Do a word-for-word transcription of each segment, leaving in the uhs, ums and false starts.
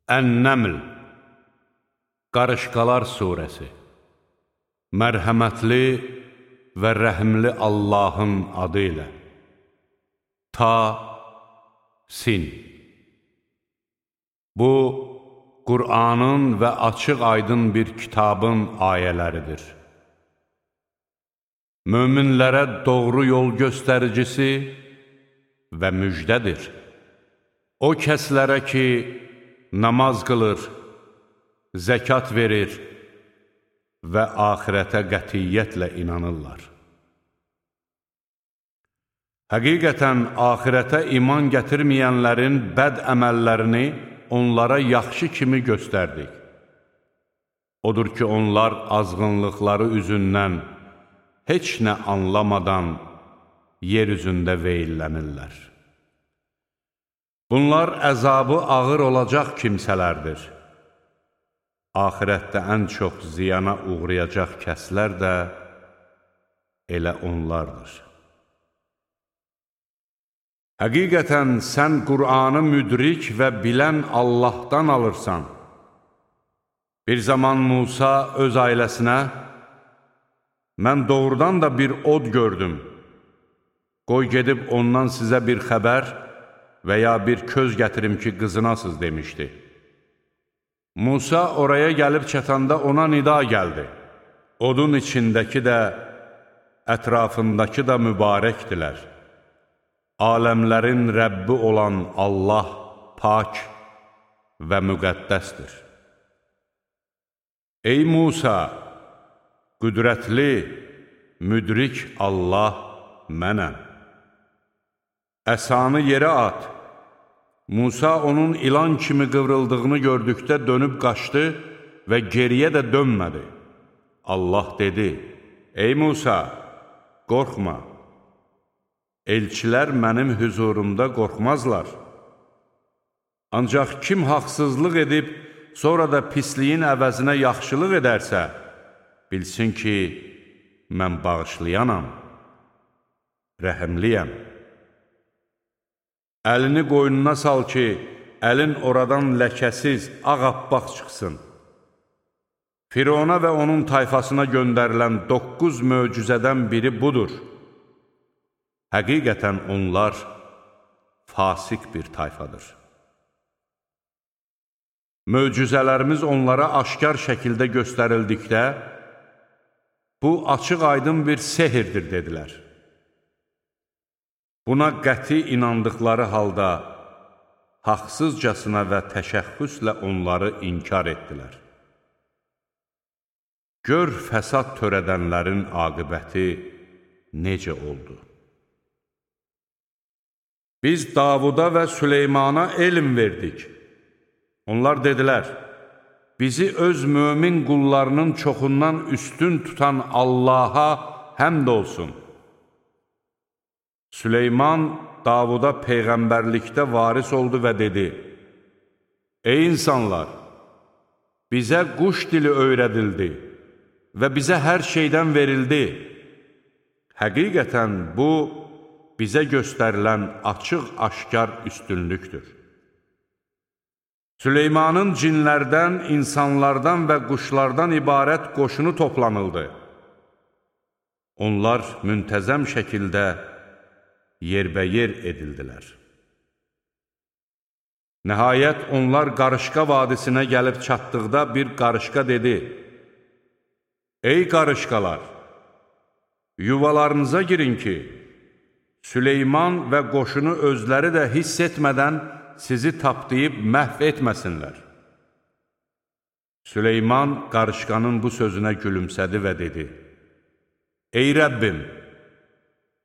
Ən-Nəml Qarışqalar Suresi Mərhəmətli və rəhimli Allahın adı ilə Ta-Sin Bu, Qur'anın və açıq aydın bir kitabın ayələridir. Möminlərə doğru yol göstəricisi və müjdədir. O kəslərə ki, namaz qılır, zəkat verir və axirətə qətiyyətlə inanırlar. Həqiqətən, axirətə iman gətirməyənlərin bəd əməllərini onlara yaxşı kimi göstərdik. Odur ki, onlar azğınlıqları üzündən heç nə anlamadan yer üzündə veyillənirlər. Bunlar əzabı ağır olacaq kimsələrdir. Axirətdə ən çox ziyana uğrayacaq kəslər də elə onlardır. Həqiqətən, sən Qur'anı müdrik və bilən Allahdan alırsan. Bir zaman Musa öz ailəsinə, mən doğrudan da bir od gördüm. Qoy gedib ondan sizə bir xəbər və ya bir köz gətirim ki, qızınasız demişdi. Musa oraya gəlib çatanda ona nida gəldi. Odun içindəki də, ətrafındakı da mübarəkdilər. Aləmlərin Rəbbi olan Allah pak və müqəddəsdir. Ey Musa, qüdrətli, müdrik Allah mənəm. Əsanı yerə at. Musa onun ilan kimi qıvrıldığını gördükdə dönüb qaçdı və geriyə də dönmədi. Allah dedi, ey Musa, qorxma. Elçilər mənim hüzurumda qorxmazlar. Ancaq kim haqsızlıq edib, sonra da pisliyin əvəzinə yaxşılıq edərsə, bilsin ki, mən bağışlayanam, rəhimliyəm. Əlini qoynuna sal ki, əlin oradan ləkəsiz, ağappaq çıxsın. Firona və onun tayfasına göndərilən doqquz möcüzədən biri budur. Həqiqətən onlar fasik bir tayfadır. Möcüzələrimiz onlara aşkar şəkildə göstərildikdə, bu açıq aydın bir sehirdir, dedilər. Buna qəti inandıqları halda, haqsızcasına və təşəxxüslə onları inkar etdilər. Gör fəsad törədənlərin aqibəti necə oldu? Biz Davuda və Süleymana elm verdik. Onlar dedilər, bizi öz mömin qullarının çoxundan üstün tutan Allaha həmd olsun. Süleyman Davuda peyğəmbərlikdə varis oldu və dedi, ey insanlar, bizə quş dili öyrədildi və bizə hər şeydən verildi. Həqiqətən bu, bizə göstərilən açıq-aşkar üstünlükdür. Süleymanın cinlərdən, insanlardan və quşlardan ibarət qoşunu toplanıldı. Onlar müntəzəm şəkildə yerbəyer edildilər. Nəhayət, onlar qarışqa vadisinə gəlib çatdıqda bir qarışqa dedi, ey qarışqalar, yuvalarınıza girin ki, Süleyman və qoşunu özləri də hiss etmədən sizi tapdıyıb məhv etməsinlər. Süleyman qarışqanın bu sözünə gülümsədi və dedi, ey Rəbbim,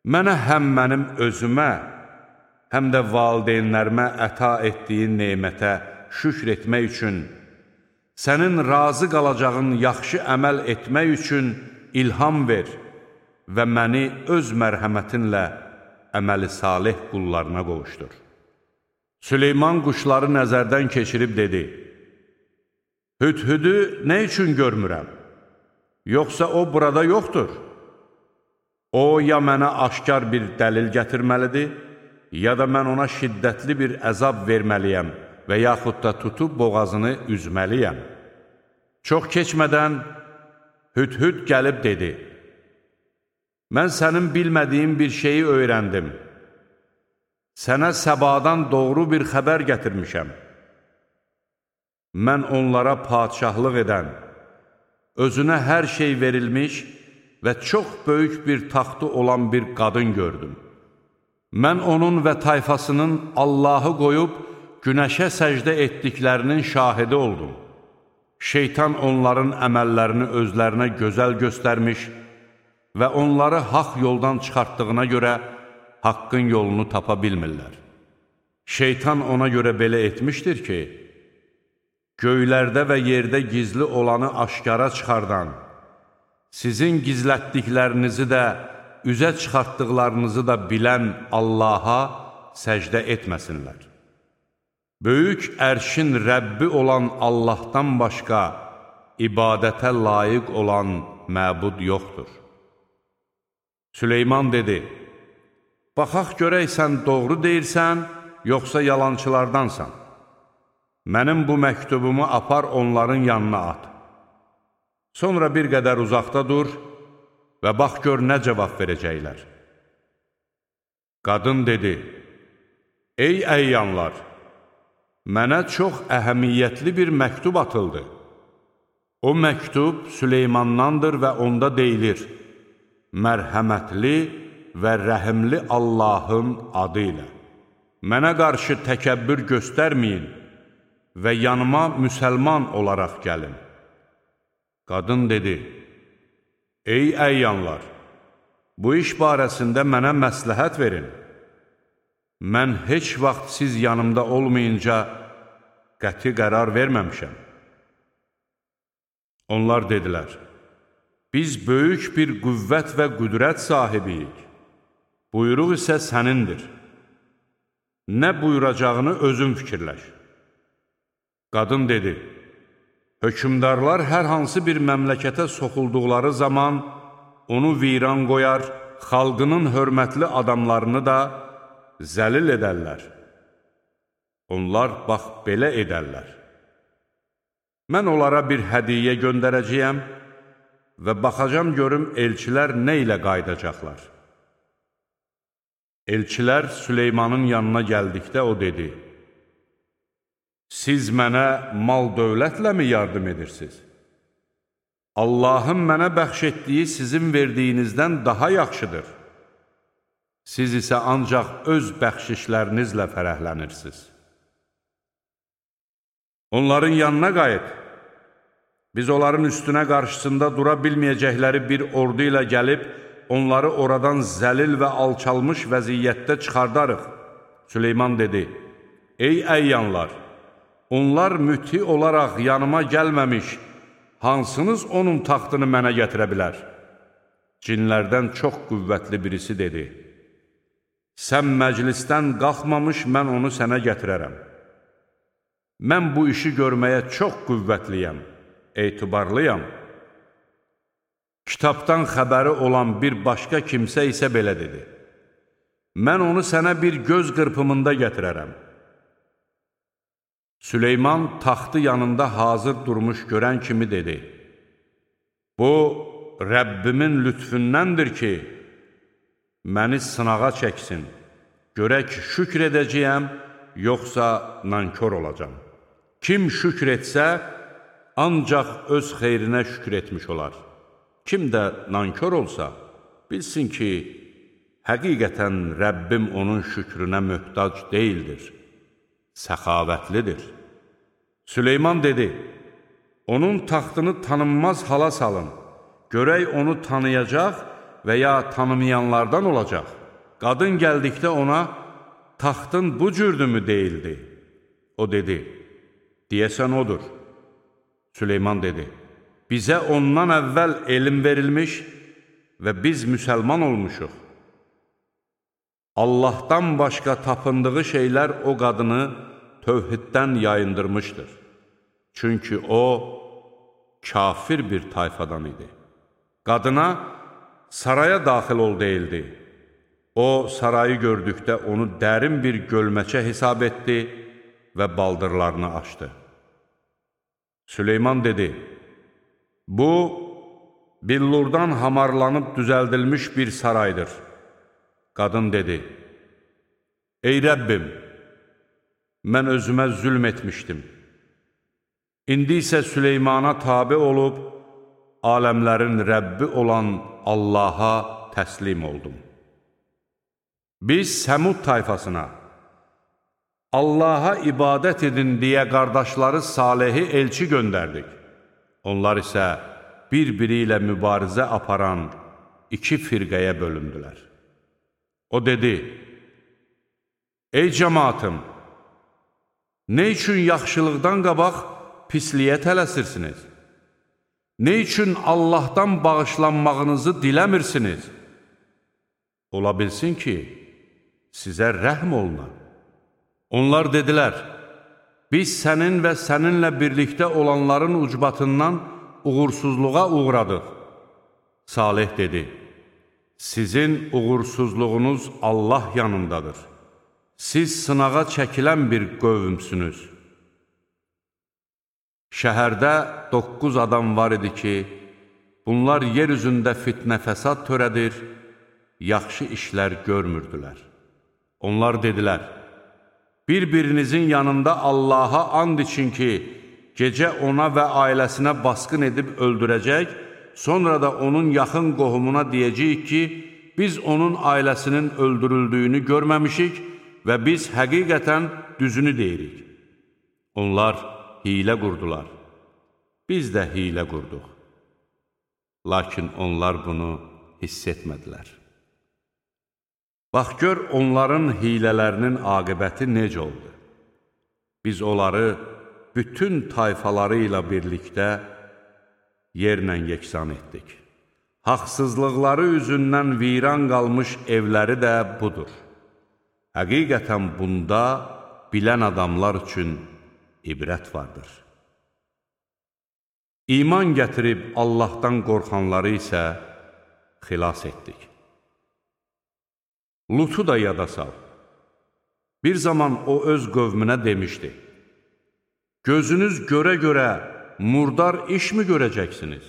mənə həm mənim özümə, həm də valideynlərimə əta etdiyin neymətə şükr etmək üçün, sənin razı qalacağın yaxşı əməl etmək üçün ilham ver və məni öz mərhəmətinlə əməli salih qullarına qovuşdur. Süleyman quşları nəzərdən keçirib dedi, Hüdhüdü nə üçün görmürəm? Yoxsa o burada yoxdur? O, ya mənə aşkar bir dəlil gətirməlidir, ya da mən ona şiddətli bir əzab verməliyəm və yaxud da tutub boğazını üzməliyəm. Çox keçmədən Hüdhüd gəlib dedi, mən sənin bilmədiyin bir şeyi öyrəndim. Sənə Səbadan doğru bir xəbər gətirmişəm. Mən onlara padişahlıq edən, özünə hər şey verilmiş və çox böyük bir taxtı olan bir qadın gördüm. Mən onun və tayfasının Allahı qoyub günəşə səcdə etdiklərinin şahidi oldum. Şeytan onların əməllərini özlərinə gözəl göstərmiş və onları haqq yoldan çıxartdığına görə haqqın yolunu tapa bilmirlər. Şeytan ona görə belə etmişdir ki, göylərdə və yerdə gizli olanı aşkara çıxardan, sizin gizlətdiklərinizi də, üzə çıxartdıqlarınızı da bilən Allaha səcdə etməsinlər. Böyük ərşin Rəbbi olan Allahdan başqa ibadətə layiq olan məbud yoxdur. Süleyman dedi, baxaq görək sən doğru deyirsən, yoxsa yalançılardansan. Mənim bu məktubumu apar onların yanına at. Sonra bir qədər uzaqda dur və bax gör nə cavab verəcəklər. Qadın dedi, ey əyyanlar, mənə çox əhəmiyyətli bir məktub atıldı. O məktub Süleymandandır və onda deyilir, mərhəmətli və rəhimli Allahın adı ilə. Mənə qarşı təkəbbür göstərməyin və yanıma müsəlman olaraq gəlin. Qadın dedi, ey əyyanlar, bu iş barəsində mənə məsləhət verin. Mən heç vaxt siz yanımda olmayınca qəti qərar verməmişəm. Onlar dedilər, biz böyük bir qüvvət və qüdrət sahibiyik. Buyruq isə sənindir. Nə buyuracağını özün fikirləş. Qadın dedi, hökümdarlar hər hansı bir məmləkətə soxulduqları zaman onu viran qoyar, xalqının hörmətli adamlarını da zəlil edərlər. Onlar bax belə edərlər. Mən onlara bir hədiyyə göndərəcəyəm və baxacam görüm elçilər nə ilə qaydacaqlar. Elçilər Süleymanın yanına gəldikdə o dedi, siz mənə mal-dövlətlə mi yardım edirsiniz? Allahın mənə bəxş etdiyi sizin verdiyinizdən daha yaxşıdır. Siz isə ancaq öz bəxşişlərinizlə fərəhlənirsiniz. Onların yanına qayıt. Biz onların üstünə qarşısında dura bilməyəcəkləri bir ordu ilə gəlib, onları oradan zəlil və alçalmış vəziyyətdə çıxardarıq. Süleyman dedi, ey əyyanlar, onlar müti olaraq yanıma gəlməmiş, hansınız onun taxtını mənə gətirə bilər? Cinlərdən çox qüvvətli birisi dedi, sən məclisdən qalxmamış, mən onu sənə gətirərəm. Mən bu işi görməyə çox qüvvətliyəm, etibarlıyam. Kitabdan xəbəri olan bir başqa kimsə isə belə dedi, mən onu sənə bir göz qırpımında gətirərəm. Süleyman taxtı yanında hazır durmuş görən kimi dedi, bu, Rəbbimin lütfündəndir ki, məni sınağa çəksin, görək şükr edəcəyəm, yoxsa nankor olacam. Kim şükr etsə, ancaq öz xeyrinə şükr etmiş olar. Kim də nankor olsa, bilsin ki, həqiqətən Rəbbim onun şükrünə möhtac deyildir, səxavətlidir. Süleyman dedi, onun taxtını tanınmaz hala salın, görək onu tanıyacaq və ya tanımayanlardan olacaq. Qadın gəldikdə ona, taxtın bu cürdümü deyildi. O dedi, deyəsən odur. Süleyman dedi, bizə ondan əvvəl elm verilmiş və biz müsəlman olmuşuq. Allahdan başqa tapındığı şeylər o qadını tövhiddən yayındırmışdır. Çünki o, kafir bir tayfadan idi. Qadına, saraya daxil ol deyildi. O, sarayı gördükdə onu dərin bir gölməçə hesab etdi və baldırlarını açdı. Süleyman dedi, bu, billurdan hamarlanıb düzəldilmiş bir saraydır. Qadın dedi, ey Rəbbim, mən özümə zülm etmişdim. İndi isə Süleymana tabi olub, aləmlərin Rəbbi olan Allaha təslim oldum. Biz Səmud tayfasına, Allaha ibadət edin deyə qardaşları Salehi elçi göndərdik. Onlar isə bir-biri ilə mübarizə aparan iki firqəyə bölündülər. O dedi, ey cəmaatım, nə üçün yaxşılıqdan qabaq pisliyə tələsirsiniz? Nə üçün Allahdan bağışlanmağınızı diləmirsiniz? Ola bilsin ki, sizə rəhm oluna. Onlar dedilər, biz sənin və səninlə birlikdə olanların ucbatından uğursuzluğa uğradıq. Salih dedi, sizin uğursuzluğunuz Allah yanındadır. Siz sınağa çəkilən bir qövmsünüz. Şəhərdə doqquz adam var idi ki, bunlar yer üzündə fitnə fəsad törədir, yaxşı işlər görmürdülər. Onlar dedilər, bir-birinizin yanında Allaha and için ki, gecə ona və ailəsinə basqın edib öldürəcək, sonra da onun yaxın qohumuna deyəcəyik ki, biz onun ailəsinin öldürüldüyünü görməmişik və biz həqiqətən düzünü deyirik. Onlar hilə qurdular. Biz də hilə qurduq. Lakin onlar bunu hiss etmədilər. Bax, gör onların hilələrinin aqibəti necə oldu. Biz onları bütün tayfaları ilə birlikdə yerlə yeksan etdik. Haqsızlıqları üzündən viran qalmış evləri də budur. Həqiqətən bunda bilən adamlar üçün ibrət vardır. İman gətirib Allahdan qorxanları isə xilas etdik. Lutu da yada sal. Bir zaman o öz qövmünə demişdi, gözünüz görə-görə murdar iş mi görəcəksiniz?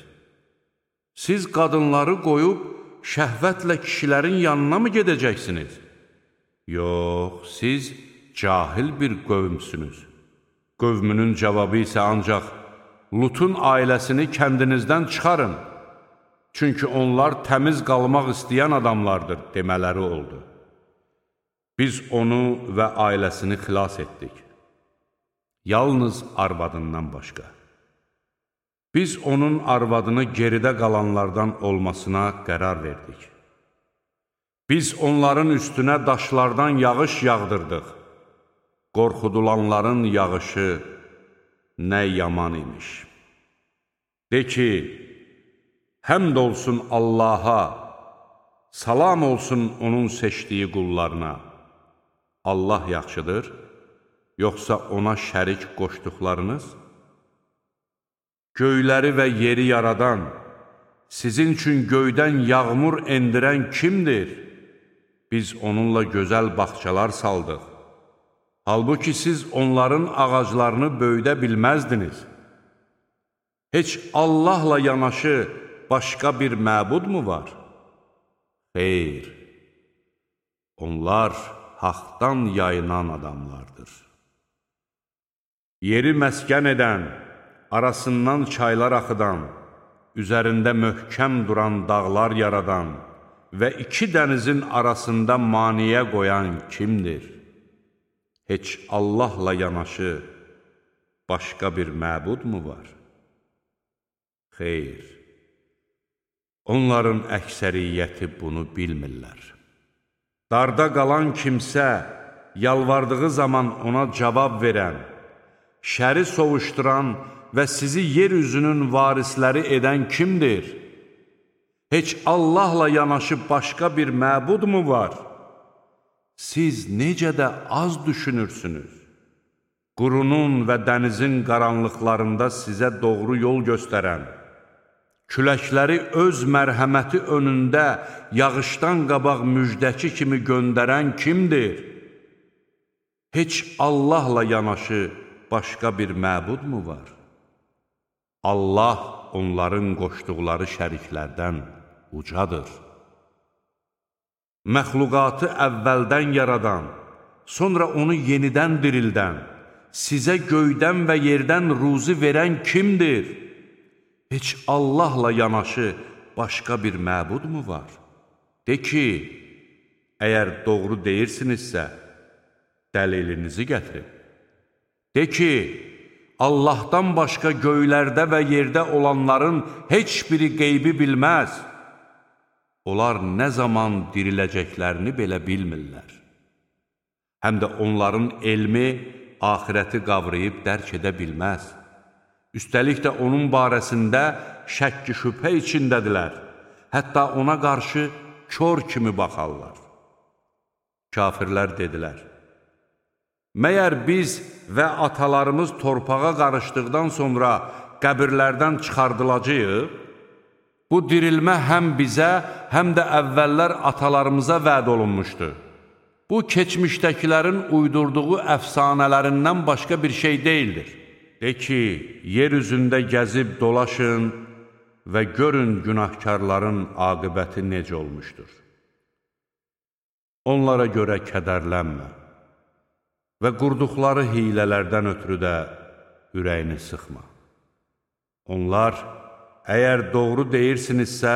Siz qadınları qoyub şəhvətlə kişilərin yanına mı gedəcəksiniz? Yox, siz cahil bir qövmsünüz. Qövmünün cavabı isə ancaq, Lutun ailəsini kəndinizdən çıxarın, çünki onlar təmiz qalmaq istəyən adamlardır demələri oldu. Biz onu və ailəsini xilas etdik. Yalnız arvadından başqa. Biz onun arvadını geridə qalanlardan olmasına qərar verdik. Biz onların üstünə daşlardan yağış yağdırdıq. Qorxudulanların yağışı nə yaman imiş. De ki, həmd olsun Allaha, salam olsun onun seçdiyi qullarına. Allah yaxşıdır, yoxsa ona şərik qoşduqlarınız? Göyləri və yeri yaradan, sizin üçün göydən yağmur endirən kimdir? Biz onunla gözəl bağçalar saldıq. Halbuki siz onların ağaclarını böyüdə bilməzdiniz. Heç Allahla yanaşı başqa bir məbud mu var? Xeyr, onlar haqdan yayınan adamlardır. Yeri məskən edən, arasından çaylar axıdan, üzərində möhkəm duran dağlar yaradan və iki dənizin arasında maniyə qoyan kimdir? Heç Allahla yanaşı başqa bir məbud mu var? Xeyr, onların əksəriyyəti bunu bilmirlər. Darda qalan kimsə, yalvardığı zaman ona cavab verən, şəri sovuşduran və sizi yeryüzünün varisləri edən kimdir? Heç Allahla yanaşı başqa bir məbud mu var? Siz necə də az düşünürsünüz? Qurunun və dənizin qaranlıqlarında sizə doğru yol göstərən, küləkləri öz mərhəməti önündə yağışdan qabaq müjdəçi kimi göndərən kimdir? Heç Allahla yanaşı başqa bir məbud mu var? Allah onların qoşduqları şəriklərdən ucadır. Məxluqatı əvvəldən yaradan, sonra onu yenidən dirildən, sizə göydən və yerdən ruzi verən kimdir? Heç Allahla yanaşı başqa bir məbud mu var? De ki, əgər doğru deyirsinizsə, dəlilinizi gətirin. De ki, Allahdan başqa göylərdə və yerdə olanların heç biri qeybi bilməz. Onlar nə zaman diriləcəklərini belə bilmirlər. Həm də onların elmi axirəti qavrayıb dərk edə bilməz. Üstəlik də onun barəsində şəkki şübhə içindədirlər. Hətta ona qarşı kör kimi baxarlar. Kafirlər dedilər, məyər biz və atalarımız torpağa qarışdıqdan sonra qəbirlərdən çıxardılacağıq? Bu dirilmə həm bizə, həm də əvvəllər atalarımıza vəd olunmuşdu. Bu, keçmişdəkilərin uydurduğu əfsanələrindən başqa bir şey deyildir. De ki, yer üzündə gəzib dolaşın və görün günahkarların aqibəti necə olmuşdur. Onlara görə kədərlənmə və qurduqları hilələrdən ötürü də ürəyini sıxma. Onlar, əgər doğru deyirsinizsə,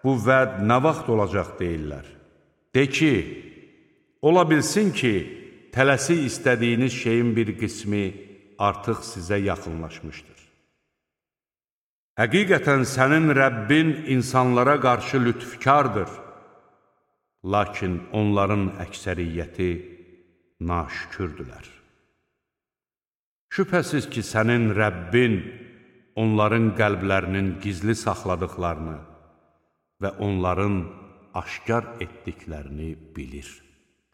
bu vəd nə vaxt olacaq deyirlər. De ki, ola bilsin ki, tələsi istədiyiniz şeyin bir qismi artıq sizə yaxınlaşmışdır. Həqiqətən sənin Rəbbin insanlara qarşı lütfkardır. Lakin onların əksəriyyəti naşükürdülər. Şübhəsiz ki, sənin Rəbbin onların qəlblərinin gizli saxladıqlarını və onların aşkar etdiklərini bilir.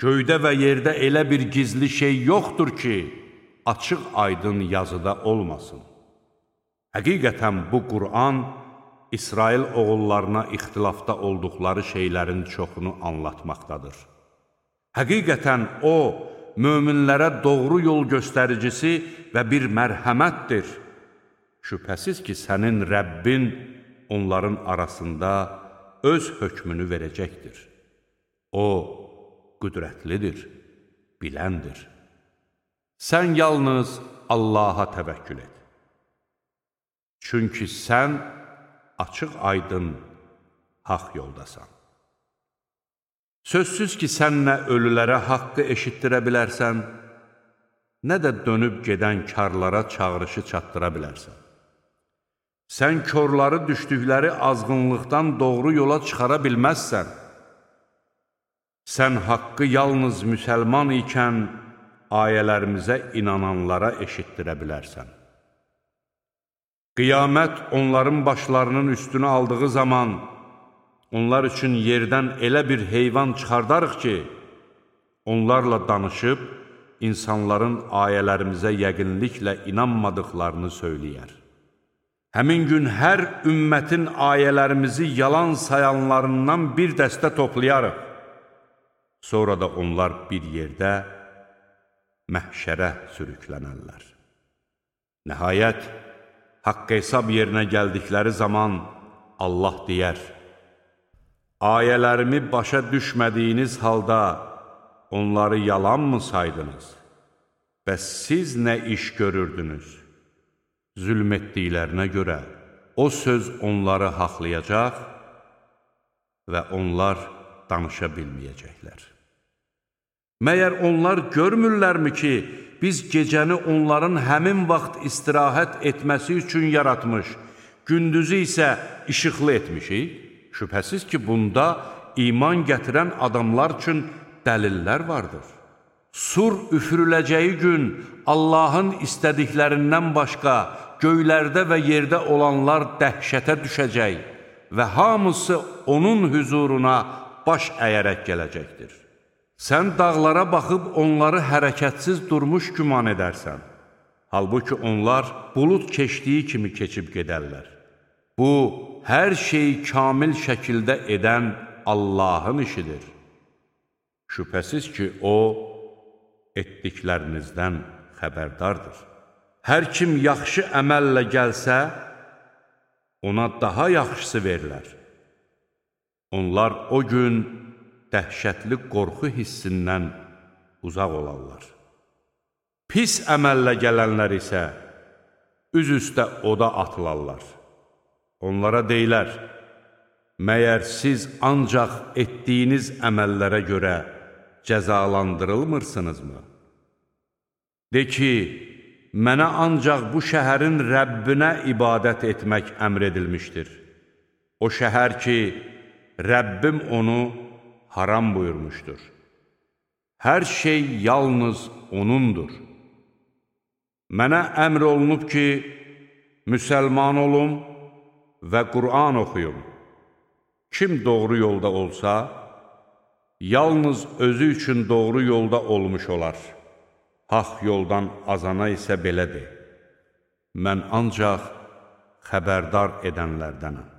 Göydə və yerdə elə bir gizli şey yoxdur ki, açıq aydın yazıda olmasın. Həqiqətən bu Qur'an, İsrail oğullarına ixtilafda olduqları şeylərin çoxunu anlatmaqdadır. Həqiqətən o, möminlərə doğru yol göstəricisi və bir mərhəmətdir. Şübhəsiz ki, sənin Rəbbin onların arasında öz hökmünü verəcəkdir. O, qüdrətlidir, biləndir. Sən yalnız Allaha təvəkkül et. Çünki sən açıq aydın haqq yoldasan. Sözsüz ki, sən nə ölülərə haqqı eşitdirə bilərsən, nə də dönüb gedən karlara çağırışı çatdıra bilərsən. Sən körləri düşdükləri azğınlıqdan doğru yola çıxara bilməzsən. Sən haqqı yalnız müsəlman ikən ayələrimizə inananlara eşitdirə bilərsən. Qiyamət onların başlarının üstünü aldığı zaman, onlar üçün yerdən elə bir heyvan çıxardarıq ki, onlarla danışıb, insanların ayələrimizə yəqinliklə inanmadıqlarını söyləyər. Həmin gün hər ümmətin ayələrimizi yalan sayanlarından bir dəstə toplayarıq. Sonra da onlar bir yerdə məhşərə sürüklənərlər. Nəhayət, haqq hesab yerinə gəldikləri zaman Allah deyər, ayələrimi başa düşmədiyiniz halda onları yalan mı saydınız? Bəs siz nə iş görürdünüz? Zülm etdiklərinə görə o söz onları haqlayacaq və onlar danışa bilməyəcəklər. Məyər onlar görmürlərmi ki, biz gecəni onların həmin vaxt istirahət etməsi üçün yaratmış, gündüzü isə işıqlı etmişik? Şübhəsiz ki, bunda iman gətirən adamlar üçün dəlillər vardır. Sur üfürüləcəyi gün Allahın istədiklərindən başqa göylərdə və yerdə olanlar dəhşətə düşəcək və hamısı onun hüzuruna baş əyərək gələcəkdir. Sən dağlara baxıb onları hərəkətsiz durmuş güman edərsən. Halbuki onlar bulud keçdiyi kimi keçib gedərlər. Bu, hər şeyi kamil şəkildə edən Allahın işidir. Şübhəsiz ki, O, etdiklərinizdən xəbərdardır. Hər kim yaxşı əməllə gəlsə, ona daha yaxşısı verilər. Onlar o gün dəhşətli qorxu hissindən uzaq olarlar. Pis əməllə gələnlər isə üz üstə oda atılarlar. Onlara deyilər, məyər siz ancaq etdiyiniz əməllərə görə cəzalandırılmırsınızmı? De ki, mənə ancaq bu şəhərin Rəbbinə ibadət etmək əmr edilmişdir. O şəhər ki, Rəbbim onu haram buyurmuşdur. Hər şey yalnız O'nundur. Mənə əmr olunub ki, müsəlman olum və Qur'an oxuyum. Kim doğru yolda olsa, yalnız özü üçün doğru yolda olmuş olar. Haq yoldan azana isə belədir. Mən ancaq xəbərdar edənlərdənəm.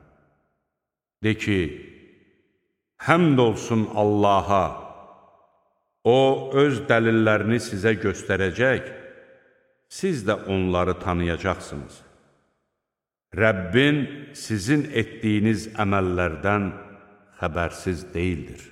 De ki, həmd olsun Allaha, O öz dəlillərini sizə göstərəcək, siz də onları tanıyacaqsınız. Rəbbin sizin etdiyiniz əməllərdən xəbərsiz deyildir.